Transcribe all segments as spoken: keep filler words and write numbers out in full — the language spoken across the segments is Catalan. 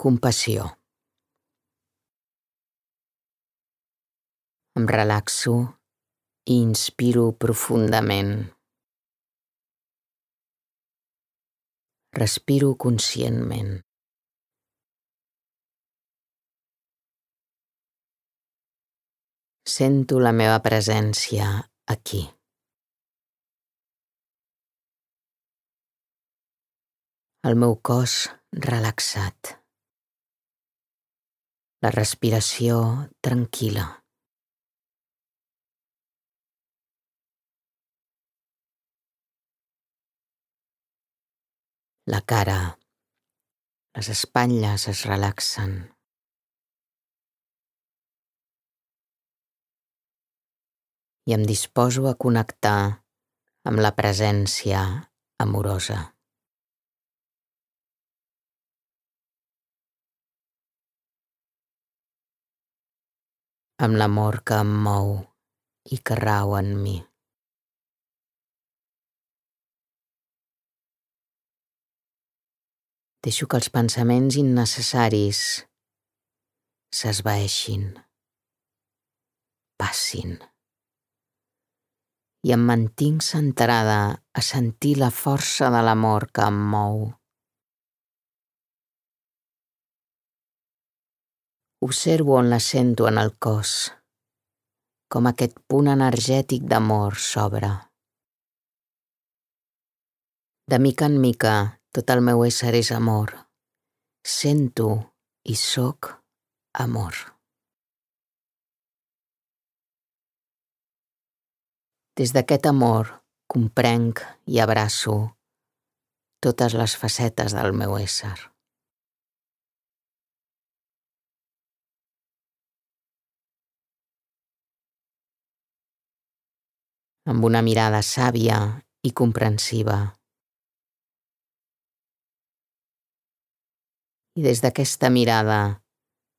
Compassió. Em relaxo i inspiro profundament. Respiro conscientment. Sento la meva presència aquí. El meu cos relaxat. La respiració tranquil·la. La cara, les espatlles es relaxen. I em disposo a connectar amb la presència amorosa. Amb l'amor que em mou i que rau en mi. Deixo que els pensaments innecessaris s'esvaeixin, passin. I em mantinc centrada a sentir la força de l'amor que em mou. Observo on la sento en el cos, com aquest punt energètic d'amor s'obre. De mica en mica, tot el meu ésser és amor. Sento i sóc amor. Des d'aquest amor comprenc i abraço totes les facetes del meu ésser. Amb una mirada sàvia i comprensiva. I des d'aquesta mirada,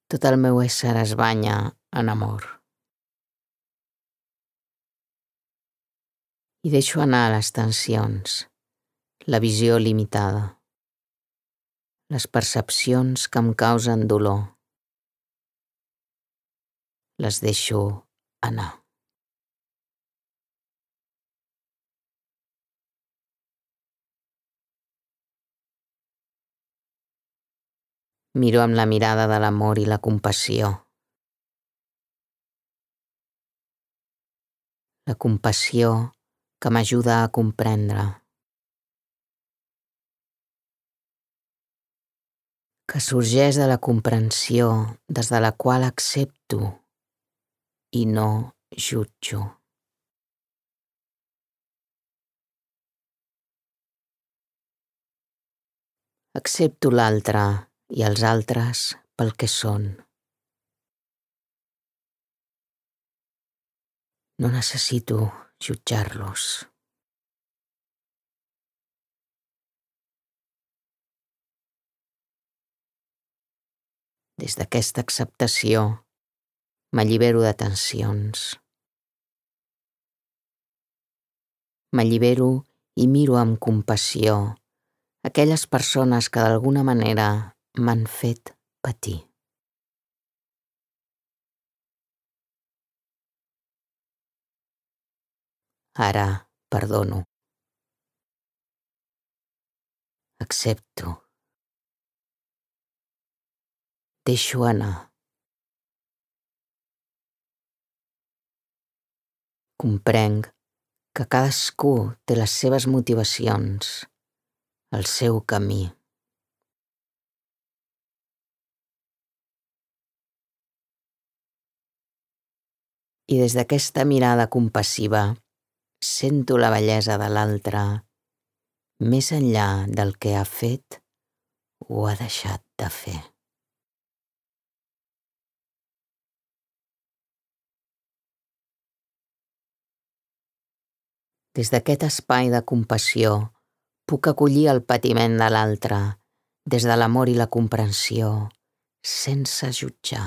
tot el meu ésser es banya en amor. I deixo anar les tensions, la visió limitada, les percepcions que em causen dolor. Les deixo anar. Miro amb la mirada de l'amor i la compassió. La compassió que m'ajuda a comprendre. Que sorgeix de la comprensió des de la qual accepto i no jutjo. Accepto l'altre i els altres pel que són. No necessito jutjar-los. Des d'aquesta acceptació m'allibero de tensions. M'allibero i miro amb compassió aquelles persones que d'alguna manera m'han fet patir. Ara perdono. Accepto. Deixo anar. Comprenc que cadascú té les seves motivacions, el seu camí. I des d'aquesta mirada compassiva sento la bellesa de l'altre més enllà del que ha fet o ha deixat de fer. Des d'aquest espai de compassió puc acollir el patiment de l'altre des de l'amor i la comprensió, sense jutjar.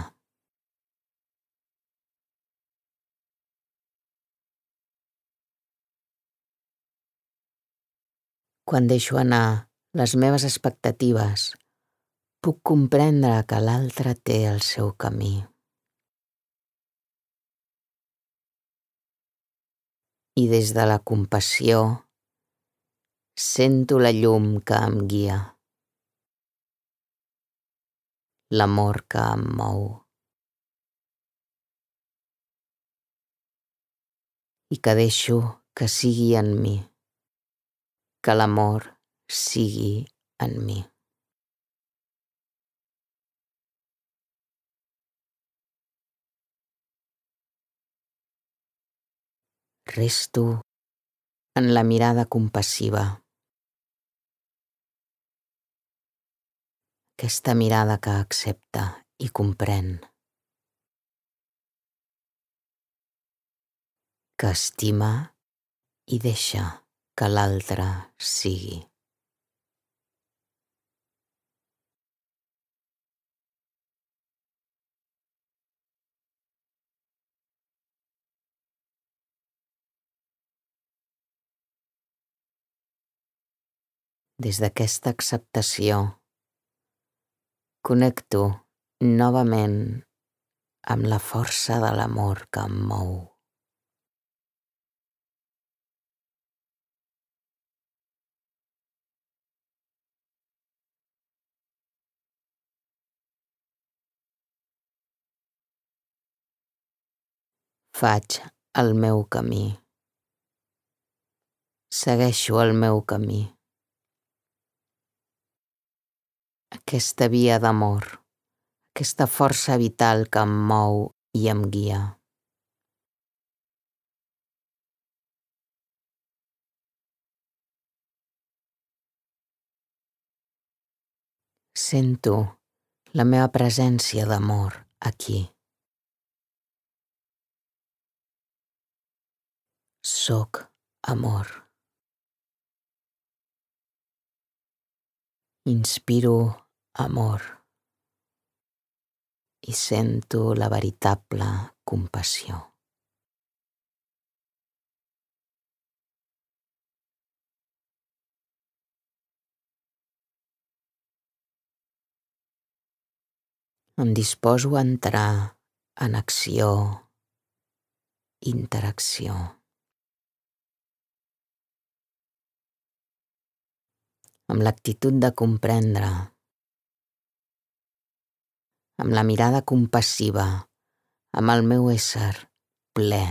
Quan deixo anar les meves expectatives, Puc comprendre que l'altre té el seu camí. I des de la compassió sento la llum que em guia, l'amor que em mou. I que deixo que sigui en mi, que l'amor sigui en mi. Resto en la mirada compassiva, aquesta mirada que accepta i comprèn, que estima i deixa que l'altre sigui. Des d'aquesta acceptació, connecto novament amb la força de l'amor que em mou. Faig el meu camí. Segueixo el meu camí. Aquesta via d'amor, aquesta força vital que em mou i em guia. Sento la meva presència d'amor aquí. Soc amor. Inspiro amor i sento la veritable compassió. Em disposo a entrar en acció, interacció. Amb l'actitud de comprendre, amb la mirada compassiva, amb el meu ésser ple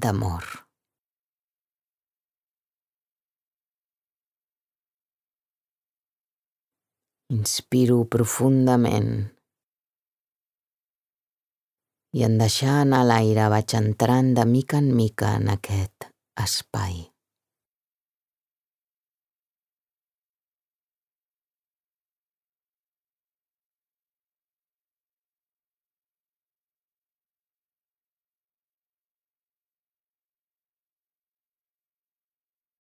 d'amor. Inspiro profundament i en deixar anar l'aire vaig entrant de mica en mica en aquest espai.